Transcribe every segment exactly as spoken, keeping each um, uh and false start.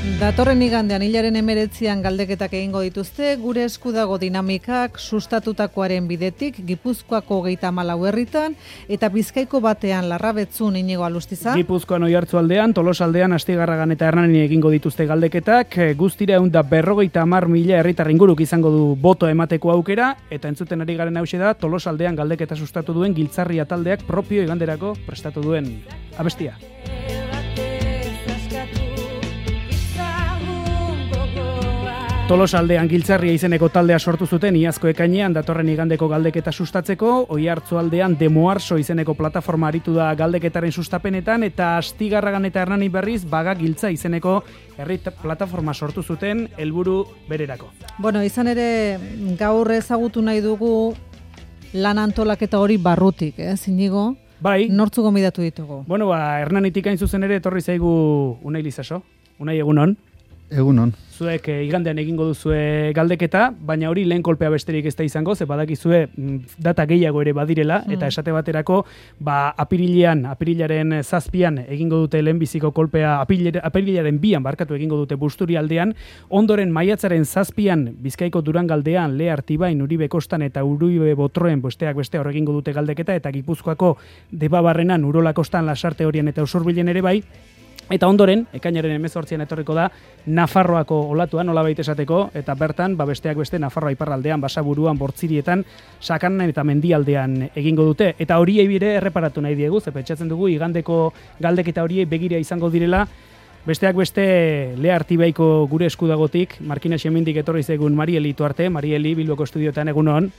Datorren igandean hilaren emeretzian galdeketak egingo dituzte, gure esku dago dinamikak sustatutakoaren bidetik, Gipuzkoako hogeita hamalau herritan, eta Bizkaiko batean Larrabetzun Inigo Alustiza. Gipuzkoan Oiartzualdean, Tolosaldean, Astigarragan eta Hernanin egingo dituzte galdeketak, guztira ehun eta berrogeita hamar mila herritar inguruk izango du boto emateko aukera, eta entzuten ari garen hauxe da, Tolosaldean galdeketa sustatu duen Giltzarria taldeak propio iganderako prestatu duen abestia. Tolosaldean Giltzarria izeneko taldea sortu zuten iazko ekainean datorren igandeko galdeketa sustatzeko, Oiartzualdean Demoarso izeneko plataforma aritu da galdeketaren sustapenetan, eta Astigarragan eta Hernani berriz Baga Giltza izeneko herri plataforma sortu zuten helburu bererako. Bueno, izan ere gaur ezagutu nahi dugu lan antolaketa hori barrutik, eh, Inigo? Bai. Nortzu gomidatu ditugu? Bueno, ba, Hernanitik hain zuzen ere etorri zaigu Unai Lizaso. Unai, egunon. Egunon. Zuek e, igandean egingo duzue galdeketa, baina hori lehen kolpea besterik ez da izango, ze badakizue data gehiago ere badirela, mm. eta esate baterako, ba, apirilean, apirilaren zazpian egingo dute lehenbiziko kolpea, apirilaren bian barkatu egingo dute Busturialdean, ondoren maiatzaren zazpian Bizkaiko Durangaldean, Le Artibain, Uribe Kostan eta Uribe Botroen besteak beste hor egingo dute galdeketa, eta Gipuzkoako Debabarrenan, Urola Kostan, Lasarte Horien eta Usurbilen ere bai. Eta ondoren, ekainaren hemezortzian etorriko da Nafarroako olatuan, nolabait esateko, eta bertan, ba besteak beste Nafarroa iparraldean, Basaburuan, Bortzirietan, Sakanan eta Mendialdean egingo dute. Eta horiei bire erreparatu nahi diegu, ze pentsatzen dugu igandeko galdeketa horiei begira izango direla, besteak beste Le Artibaiko gure eskudagotik, Markina Xemendik etorri zaigun Marieli Tuarte, Marieli Bilboko estudiotan egunon.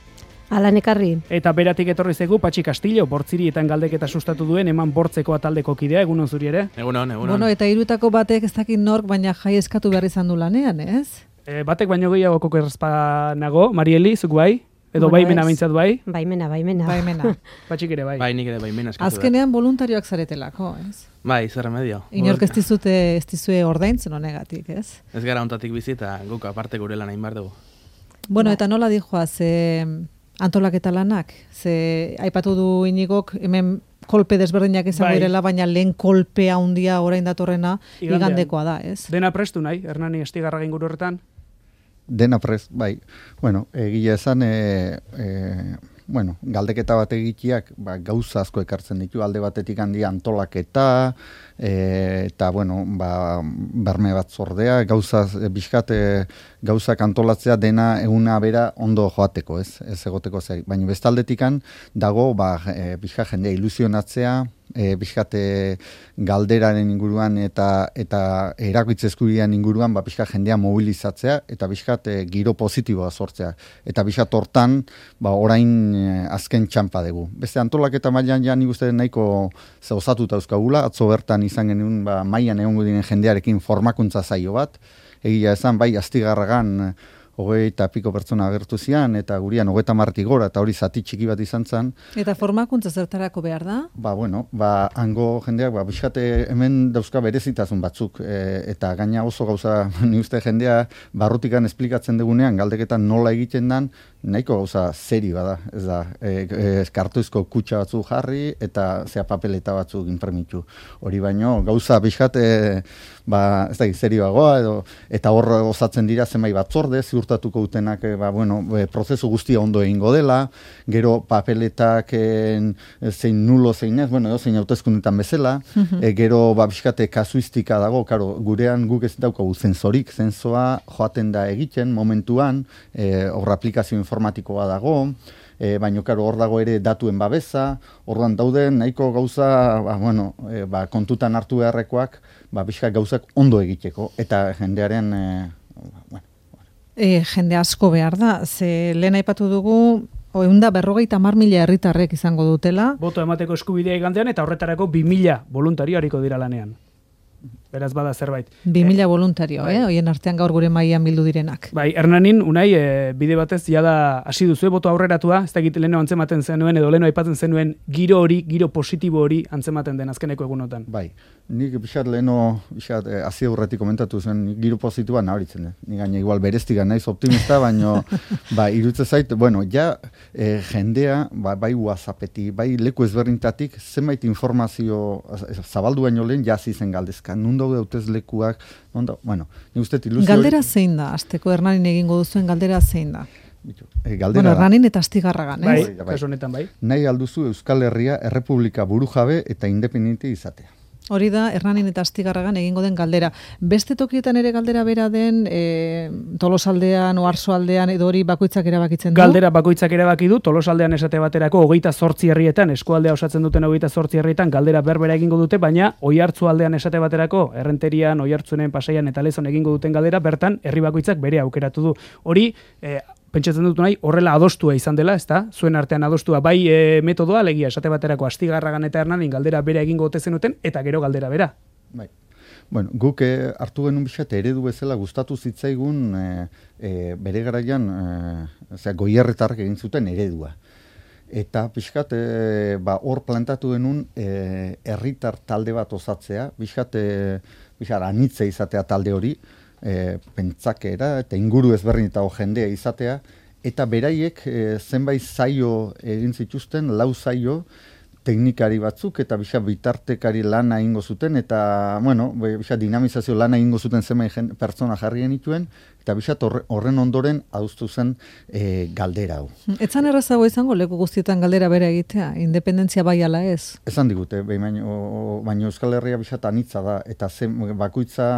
Alan ekarri. Eta beratik etorri zaigu Patxi Castillo, Bortzirietan galdeketa sustatu duen eman bortzeko ataldeko kidea, egunon zuri ere? Egunon, egunon. Bueno, eta hirutako batek ez dakit nork, baina jai eskatu behar izan du lanean, ez? E, batek baino gehiago koko errazpa nago, Marieli, zuk bai? Edo Bueno, baimena ez. bintzat bai? Baimena, baimena. Baimena. Patxik ere bai. Bai, nik ere baimena eskatu da. Azkenean voluntarioak zaretelako, ez? Bai, zer remedio. Inork ez dizute, ez dizue ordaintzen honegatik, ez? Ez gara ontatik bizita, guk aparte gure lan egin behar dugu. Bueno, eta nola dijoa, ze antolaketa lanak, ze aipatu du Inigok hemen kolpe desberdinak izango Bai. direla, baina lehen kolpea handia orain datorrena Igandean. igandekoa da, ez? Dena prestu nahi, Hernani Astigarraga inguru horretan? Dena prest, bai. Bueno, egia esan, e, e, bueno, galdeketa bat egiteak ba, gauza asko ekartzen ditu, alde batetik handi antolaketa, e, eta, bueno, ba, berme bat zordea, gauza, bizkate, gauzak antolatzea dena eguna bera ondo joateko, ez, ez egoteko zei. Baina bestaldetikan dago, ba, e, bizka jendea ilusionatzea, e, bizkate galderaren inguruan eta eta erakutze eskubidean inguruan ba bizka jendea mobilizatzea eta bizkat e, giro positiboa sortzea eta bizkat hortan ba orain e, azken txanpa dugu. Beste antolaketa mailan ja nik uste nahiko ze osatuta euskagula, atzo bertan izan genuen ba mailan egongo diren jendearekin formakuntza saio bat. Egia esan bai Astigarragan hogei eta piko pertsona agertu zian, eta gurian hogeita hamartik gora, eta hori zati txiki bat izan zen. Eta formakuntza zertarako behar da? Ba, bueno, ba, hango jendeak, ba, bizkate hemen dauzka berezitasun batzuk, e, eta gaina oso gauza, ni uste jendea, barrutikan esplikatzen dugunean, galdeketan nola egiten dan, nahiko gauza serio bada, ez da, e, e, kartoizko kutxa batzuk jarri, eta zea papeleta batzuk inpremitu. Hori baino, gauza bizkate, ba, ez da, serioagoa, edo, eta hor osatzen dira zenbait batzorde, ziurtatuko utenak, e, ba, bueno, e, prozesu guztia ondo egingo dela, gero papeletak e, zein nulo zein ez, bueno, zein hauteskundetan bezala, uh-huh. e, gero ba, bizkate kasuistika dago, karo, gurean guk ez daukagu zensorik, zensoa joaten da egiten momentuan, e, hor aplikazio informatikoa dago, e, baina karo hor dago ere datuen babesa, orduan dauden nahiko gauza, ba, bueno, e, ba, kontutan hartu beharrekoak, ba, bizka gauzak ondo egiteko, eta jendearen, e, bueno, E, jende asko behar da, ze lehen aipatu dugu, ehun eta berrogeita hamar mila herritarrek izango dutela. Boto emateko eskubidea igandean eta horretarako bi mila voluntario hariko dira lanean. Beraz bada zerbait. Bi mila eh, voluntario, bai. eh? Hoien artean gaur gure mailan bildu direnak. Bai, Hernanin, Unai, e, bide batez jada hasi duzue boto aurreratua, ez dakit leheno antzematen zenuen edo leheno aipatzen zenuen giro hori, giro positibo hori antzematen den azkeneko egunotan. Bai, Nik pixat leheno, pixat, eh, hazi aurretik komentatu zen, giro positiboa nabaritzen. Eh? Ni gaina igual bereztiga naiz optimista, baino, ba, irutze zait, bueno, ja, eh, jendea, ba, bai WhatsAppetik, bai leku ezberdintatik, zenbait informazio zabaldu baino lehen, jazi zen galdezka. Nun daude hautez lekuak, non da, bueno, nik uste ilusio... Galdera zein da, azteko Hernanin egingo duzuen galdera zein da? E, galdera bueno, da. Hernanin eta Astigarragan, Bai, ez? kasu honetan bai. Nahi alduzu Euskal Herria errepublika burujabe eta independente izatea. Hori da, Hernanin eta Astigarragan egingo den galdera. Beste tokietan ere galdera bera den, e, Tolosaldean, Oarsoaldean, edo hori bakoitzak erabakitzen du? Galdera bakoitzak erabaki du, Tolosaldean esate baterako hogeita zortzi herrietan, eskualdea osatzen duten hogeita zortzi herrietan, galdera berbera egingo dute, baina Oiartzualdean esate baterako, Errenterian, Oiartzunen, Pasaian eta Lezon egingo duten galdera, bertan herri bakoitzak bere aukeratu du. Hori, e, pentsatzen dut nahi, horrela adostua izan dela, ezta? Zuen artean adostua, bai e, metodoa, alegia, esate baterako Astigarragan eta Hernanin galdera bere egingo ote zenuten, eta gero galdera bera. Bai. Bueno, guk eh, hartu genuen bisat eredu bezala gustatu zitzaigun eh, eh, bere garaian eh, goierretarrek egin zuten eredua. Eta pixkat eh, ba, hor plantatu genuen eh, herritar talde bat osatzea, pixkat eh, pixkat anitze izatea talde hori, E, pentsakera eta inguru ezberdin eta jendea izatea, eta beraiek e, zenbait zaio egin zituzten, lau zaio teknikari batzuk eta bisa bitartekari lana egingo zuten, eta bueno, bisa dinamizazio lana egingo zuten zenbait pertsona jarri genituen, eta bisa horren ondoren adostu zen e, galdera hau. Etzan errazago izango leku guztietan galdera bera egitea, independentzia bai ala ez? Esan digute, baino, baino Euskal Herria bisat anitza da, eta zen bakoitza,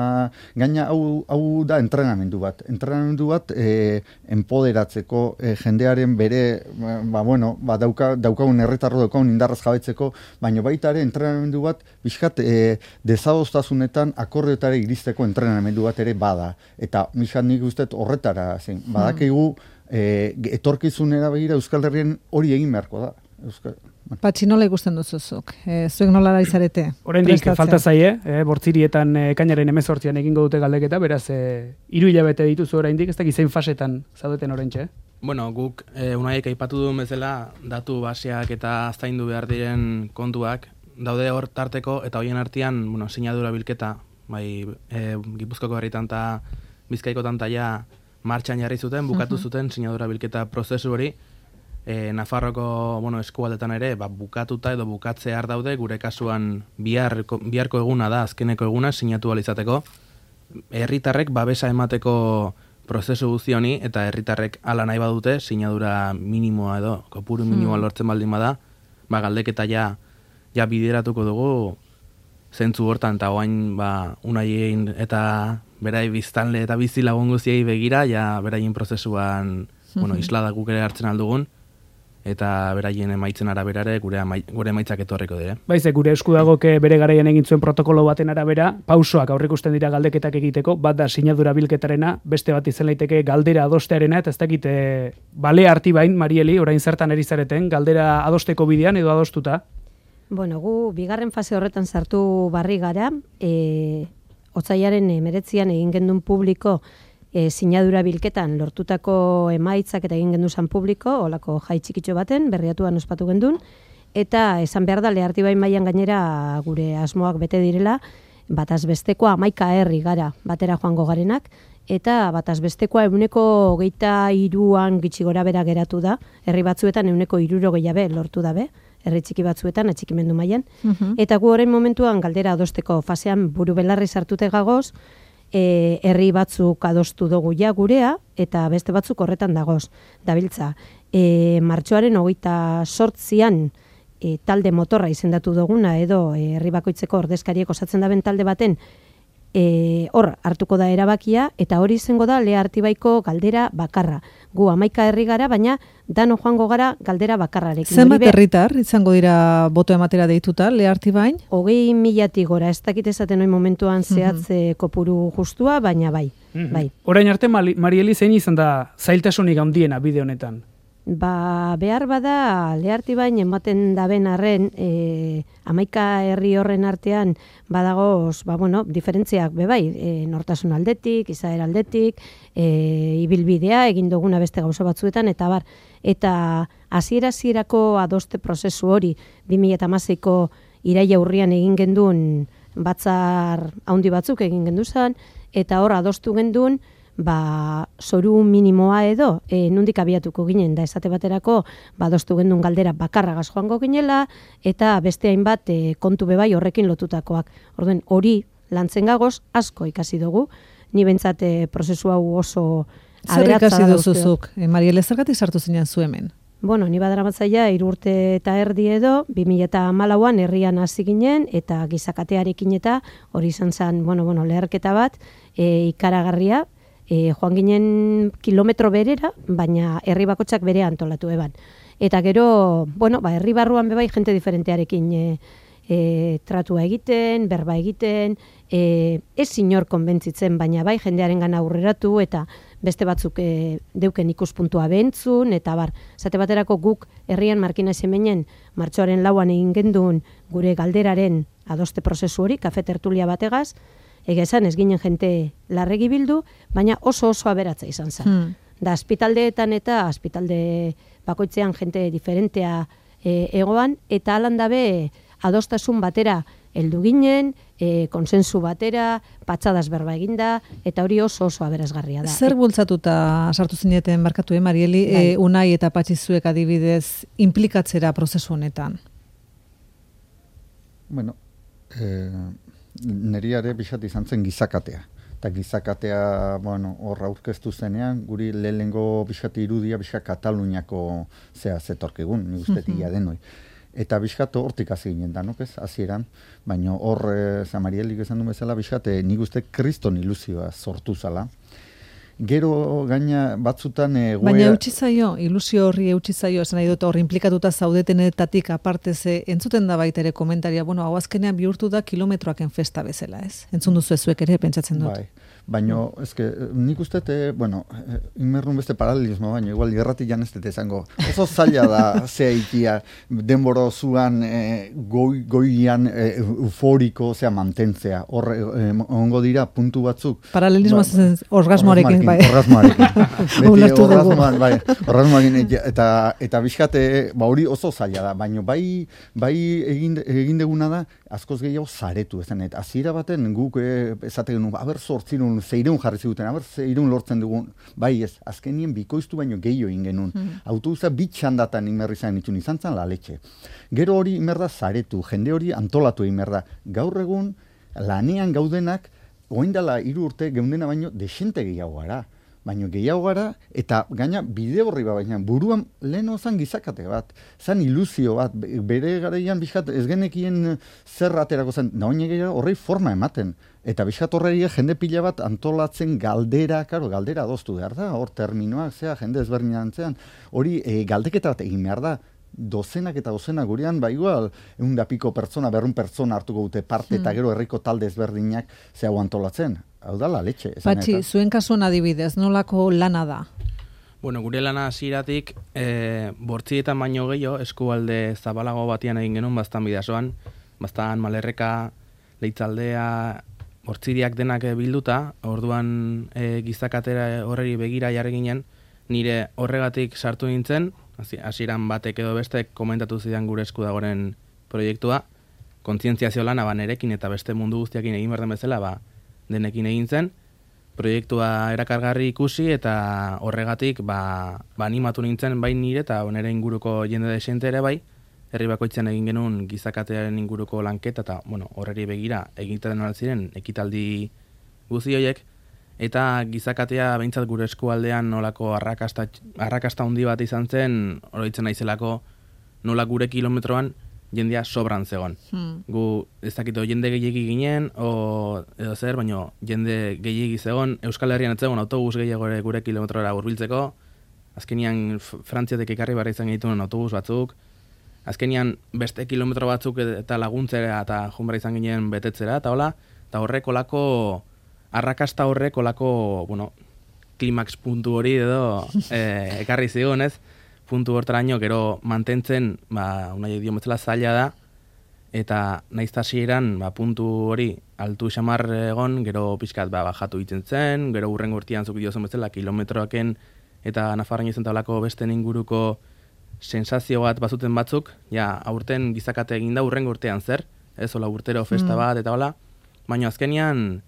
gaina hau, hau da entrenamendu bat. Entrenamendu bat e, empoderatzeko, e, jendearen bere, ba, bueno, ba, dauka, daukagun erretarro daukagun indarraz jabetzeko, baino baita ere entrenamendu bat, biskat e, desadostasunetan akordioetara iristeko entrenamendu bat ere bada. Eta bisat nik uste horretara, zen, badakigu e, etorkizunera begira Euskal Herrien hori egin beharko da. Euskal... Patxi, nola ikusten duzuzuk? E, zuek nola da izarete? Oraindik falta zaie, eh, bortzirietan eh, kainaren hemezortzian egingo dute galdeketa, beraz, eh, hiru hilabete dituzu oraindik, ez dakit zein fasetan zaudeten oraintxe. Bueno, guk eh, unaiek aipatu duen bezala, datu baseak eta aztaindu behar diren kontuak, daude hor tarteko, eta hoien artean, bueno, sinadura bilketa, bai, eh, Gipuzkoako herritan eta Bizkaiko tantaia martxan jarri zuten, bukatu uh-huh. zuten sinadura bilketa prozesu hori, e, Nafarroko bueno, eskualdetan ere, ba, bukatuta edo bukatzear daude, gure kasuan biharko, biharko eguna da, azkeneko eguna, sinatu alizateko, herritarrek babesa emateko prozesu guzti honi, eta herritarrek ala nahi badute, sinadura minimoa edo, kopuru minimoa hmm. lortzen baldin bada, ba, galdeketa ja, ja bideratuko dugu, zentzu hortan, eta oain, ba, unaien eta berai biztanle eta bizi lagun guztiei begira, ja beraien prozesuan, bueno, islada guk ere hartzen aldugun, eta beraien emaitzen araberare gure, amai, gure emaitzak etorriko dire. Baize, gure esku dagoke bere garaian egin zuen protokolo baten arabera, pausoak aurrikusten dira galdeketak egiteko, bat da sinadura bilketarena, beste bat izan laiteke galdera adostearena, eta ez dakit e, bale harti bain, Marieli, orain zertan erizareten, galdera adosteko bidean edo adostuta? Bueno, gu bigarren fase horretan sartu barri gara, e, otsaiaren emeretzian egin gendun publiko e, sinadura bilketan lortutako emaitzak eta egin genduzan publiko, olako jai txikitxo baten, berriatuan ospatu gendun, eta esan behar da leharti bain mailan gainera gure asmoak bete direla, bataz bestekoa hamaika herri gara batera joango garenak, eta bataz bestekoa euneko hogeita hiruan gitxi gora bera geratu da, herri batzuetan euneko hiruro gehiabe lortu dabe, herri txiki batzuetan, atxikimendu mailan. Uh-huh. Eta gu orain momentuan galdera adosteko fasean buru belarri sartute gagoz, e, herri batzuk adostu dugu ja gurea, eta beste batzuk horretan dagoz. Dabiltza, e, martxoaren hogeita sortzian e, talde motorra izendatu duguna, edo e, herri bakoitzeko ordezkariek osatzen daben talde baten, E, hor hartuko da erabakia, eta hori izango da Lea Artibaiko galdera bakarra. Gu hamaika herri gara, baina dano joango gara galdera bakarrarekin. Zenbat herritar izango dira boto ematera deituta Lea Artibain? Hogei milatik gora, ez dakit esaten hori momentuan zehatze mm-hmm. kopuru justua, baina bai. Mm-hmm. bai. Orain arte, Marieli, zein izan da zailtasunik handiena bide honetan? Ba, behar bada, leharti bain ematen daben arren, e, hamaika herri horren artean badagoz, ba, bueno, diferentziak bebai, e, nortasun aldetik, izaera aldetik, e, ibilbidea, egin duguna beste gauza batzuetan, eta bar, eta hasiera-hasierako adoste prozesu hori, bi mila hamaseiko iraila urrian egin genduen batzar handi batzuk egin genduzan, eta hor adostu gendun, ba, zoru minimoa edo, e, nundik abiatuko ginen, da esate baterako, ba, adostu gendun galdera bakarragaz joango ginela, eta beste hainbat e, kontu bebai horrekin lotutakoak. Orduen, hori lantzen gagoz, asko ikasi dugu, ni bentsat e, prozesu hau oso zer ikasi duzuzuk, e, Mariele, zergatik sartu zinen zu hemen? Bueno, ni badaramatzaia hiru urte eta erdi edo, bi mila hamalauan herrian hasi ginen, eta gizakatearekin eta hori izan zen, bueno, bueno, leherketa bat, e, ikaragarria, e, joan ginen kilometro berera, baina herri bakotxak bere antolatu eban. Eta gero, bueno, ba, herri barruan bebai jente diferentearekin e, e, tratua egiten, berba egiten, e, ez inor konbentzitzen, baina bai jendearen gana aurreratu, eta beste batzuk e, deuken ikuspuntua behentzun, eta bar, zate baterako guk herrian Markina Xemenen martxoaren lauan egin gendun gure galderaren adoste prozesu hori, kafe tertulia bategaz, ega esan ez ginen jente larregi bildu, baina oso oso aberatza izan zen. Hmm. Da, aspitaldeetan eta aspitalde bakoitzean jente diferentea e, egoan, eta alan dabe adostasun batera heldu ginen, e, konsensu batera, patxadas berba eginda, eta hori oso oso aberazgarria da. Zer bultzatuta sartu zineten barkatu, eh, Marieli, e, Unai eta Patxizuek adibidez implikatzera prozesu honetan? Bueno, eh, neriare pixat izan zen gizakatea. Eta gizakatea, bueno, hor aurkeztu zenean, guri lehengo pixat irudia pixat Kataluniako zea zetorkigun, nik uste tia denoi. Eta bizkat hortik hasi ginen danok ez, hasieran, baina hor, e, Zamarielik esan du bezala, bizkat, e, nik uste kriston ilusioa sortu zala. Gero gaina batzutan... E, goea... Baina eutsi zaio, ilusio horri eutsi zaio, esan nahi dut hor implikatuta zaudetenetatik aparte ze, entzuten da baita ere komentaria, bueno, hau azkenean bihurtu da kilometroaken festa bezala ez? Entzun duzu ezuek ere, pentsatzen dut. Bai. Baina, ezke, nik uste, e, bueno, inmerrun beste paralelismo, baina igual gerrati janeztet esango. Oso zaila da zea ikia, denboro zuan e, goi, goian e, euforiko zea mantentzea. Hor, e, ongo dira puntu batzuk. Paralelismo ba, orgasmoarekin, bai. Orgasmoarekin. Beti orgasmoan, bai. Orgasmoarekin, eta, eta bizkate, ba hori oso zaila da. Baina bai, bai egin, egin deguna da, askoz gehiago zaretu ezen. Eta hasiera baten guk e, esate genuen, aber sortzirun zeireun jarri ziguten, aber zeireun lortzen dugun, bai ez, azkenien bikoiztu baino gehiago egin genuen. Mm. Autobusa bitxandatan inmerri zain itxun izan zen la letxe. Gero hori inmerda zaretu, jende hori antolatu inmerda. Gaur egun, lanean gaudenak, oindala hiru urte geundena baino desente gehiago gara. Baino gehiago gara, eta gaina bide horri bat, baina buruan leheno zan gizakate bat, zan ilusio bat, bere garaian bizkat ez genekien zer aterako zen, da oine gehiago horrei forma ematen. Eta bizkat horreria jende pila bat antolatzen galdera, karo, galdera adostu behar da, hor terminoak, zea, jende ezberdin antzean, hori e, galdeketa bat egin behar da, dozenak eta dozenak gurean, ba igual, egun da piko pertsona, berrun pertsona hartuko dute parte, hmm. eta gero herriko talde ezberdinak zea antolatzen. Hau da la letxe. Patxi, zuen kasuan adibidez, nolako lana da? Bueno, gure lana hasieratik e, bortzietan baino gehiago, eskualde zabalago batian egin genuen, bastan bidazoan, bastan Malerreka, Leitzaldea, bortziriak denak bilduta, orduan e, gizakatera horreri begira jarri ginen, nire horregatik sartu nintzen, hasieran batek edo bestek komentatu zidan gure esku dagoren proiektua, kontzientziazio lana ba nerekin eta beste mundu guztiakin egin behar den bezala, ba, denekin egin zen, proiektua erakargarri ikusi eta horregatik ba, ba animatu nintzen bai nire eta nire inguruko jende desente ere bai, herri bakoitzen egin genuen gizakatearen inguruko lanketa eta bueno, horreri begira egiten ziren ekitaldi guzti horiek, eta gizakatea behintzat gure eskualdean nolako arrakasta, arrakasta handi bat izan zen, oroitzen naizelako nola gure kilometroan jendea sobran zegoen. Hmm. Gu ez dakito jende gehiegi ginen, o edo zer, baina jende gehiegi zegoen, Euskal Herrian ez zegoen autobus gehiago gure kilometrora hurbiltzeko, azkenian Frantziatek ekarri barra izan genituen autobus batzuk, azkenian beste kilometro batzuk eta laguntzera eta junbara izan ginen betetzera, eta hola, eta horrek olako, arrakasta horrek olako, bueno, klimax puntu hori edo eh, ekarri zigun, ez? Puntu hortaraino gero mantentzen, ba, unai dio metzela zaila da, eta naiz hasieran ba, puntu hori altu xamar egon, gero pixkat ba, bajatu egiten zen, gero urrengo urtean zuk diozen bezala kilometroaken eta Nafarroan izan tablako besten inguruko sensazio bat bazuten batzuk, ja, aurten gizakate egin da urrengo urtean zer, ez hola urtero festa bat, eta hola, baina azkenian,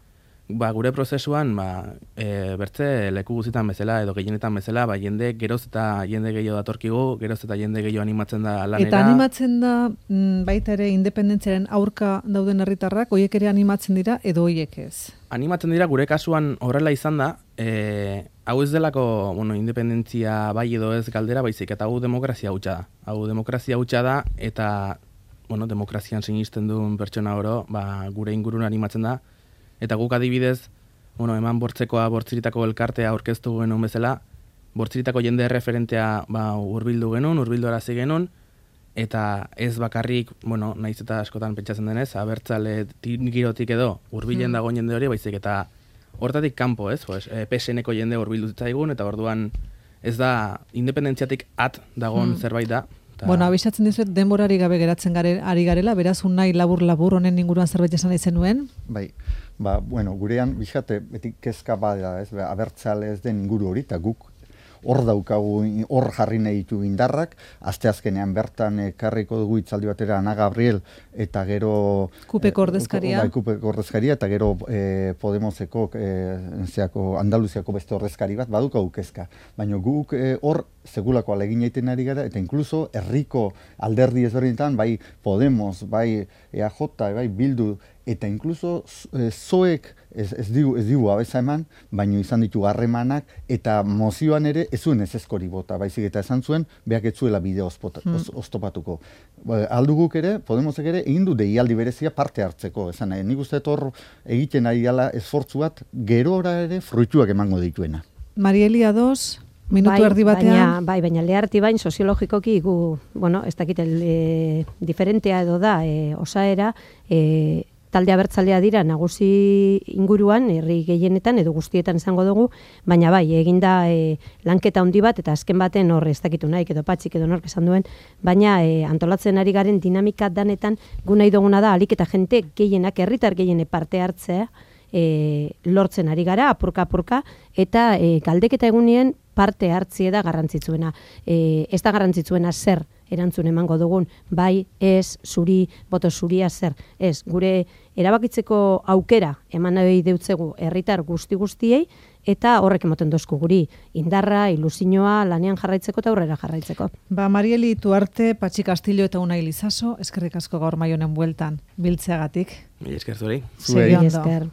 ba, gure prozesuan, ba, e, bertze leku guzitan bezala, edo gehienetan bezala, ba, jende geroz eta jende gehiago datorkigu, geroz eta jende gehiago animatzen da lanera. Eta animatzen da, mm, baita ere, independentziaren aurka dauden herritarrak, hoiek ere animatzen dira, edo hoiek ez? Animatzen dira, gure kasuan horrela izan da, e, hau ez delako, bueno, independentzia bai edo ez galdera, baizik, eta hau demokrazia hutsa da. Hau demokrazia hutsa da, eta, bueno, demokrazian sinisten duen pertsona oro, ba, gure ingurun animatzen da, eta guk adibidez, bueno, eman bortzekoa bortziritako elkartea aurkeztu genuen bezala, bortziritako jende referentea ba, urbildu genuen, urbildu arazi genuen, eta ez bakarrik, bueno, naiz eta askotan pentsatzen denez, abertzale girotik edo urbilen dago jende hori, baizik eta hortatik kanpo, ez? Pues, e, P S N-ko jende urbildu zitzaigun, eta orduan ez da independentziatik at dagon hmm. zerbait da. Ta... Bueno, abisatzen dizuet denborari gabe geratzen gare, ari garela, beraz unai labur-labur honen inguruan zerbait esan izen nuen. Bai, ba, bueno, gurean, bixate, beti kezka bada, ez, abertzale ez den inguru hori, eta guk hor daukagu, hor jarri nahi ditu indarrak, asteazkenean bertan ekarriko dugu itzaldi batera Ana Gabriel, eta gero... Kupeko ordezkaria. Bai, Kupeko ordezkaria, eta gero eh, Podemoseko, eh, zeako, Andaluziako beste ordezkari bat, badukagu kezka. Baina guk eh, hor segulako alegin egiten ari gara, eta inkluso herriko alderdi ezberdinetan, bai Podemos, bai E A J, bai Bildu, eta inkluso e, zoek ez, ez digu, ez digu abeza eman, baino izan ditu harremanak, eta mozioan ere ez zuen ez ezkori bota, baizik eta esan zuen, behak ez zuela bideo hmm. oztopatuko. Alduguk ere, Podemosek ere, egin du deialdi berezia parte hartzeko, esan nahi, nik uste hor egiten ari gala esfortzu bat, gerora ere fruituak emango dituena. Marieli ados... Minutu bai, erdi batean. Baina, bai, baina leharti bain soziologikoki gu, bueno, ez dakit e, diferentea edo da, e, osaera, e, talde abertzalea dira nagusi inguruan, herri gehienetan edo guztietan izango dugu, baina bai, eginda e, lanketa handi bat, eta azken baten hor ez dakitu naik edo patxik edo nork esan duen, baina e, antolatzen ari garen dinamika danetan gu nahi duguna da, alik eta jente gehienak, herritar gehiene parte hartzea, E, lortzen ari gara, apurka-apurka, eta e, galdeketa egunien parte hartzie da garrantzitsuena. E, ez da garrantzitsuena zer erantzun emango dugun, bai, ez, zuri, boto zuria zer. Ez, gure erabakitzeko aukera eman nahi deutzegu herritar guzti-guztiei, eta horrek emoten dozku guri indarra, ilusioa, lanean jarraitzeko eta aurrera jarraitzeko. Ba, Marieli Tuarte, Patxi Castillo eta Unai Lizaso, eskerrik asko gaur Maionen bueltan biltzeagatik. Mila esker zuri. Zuei. Segi ondo.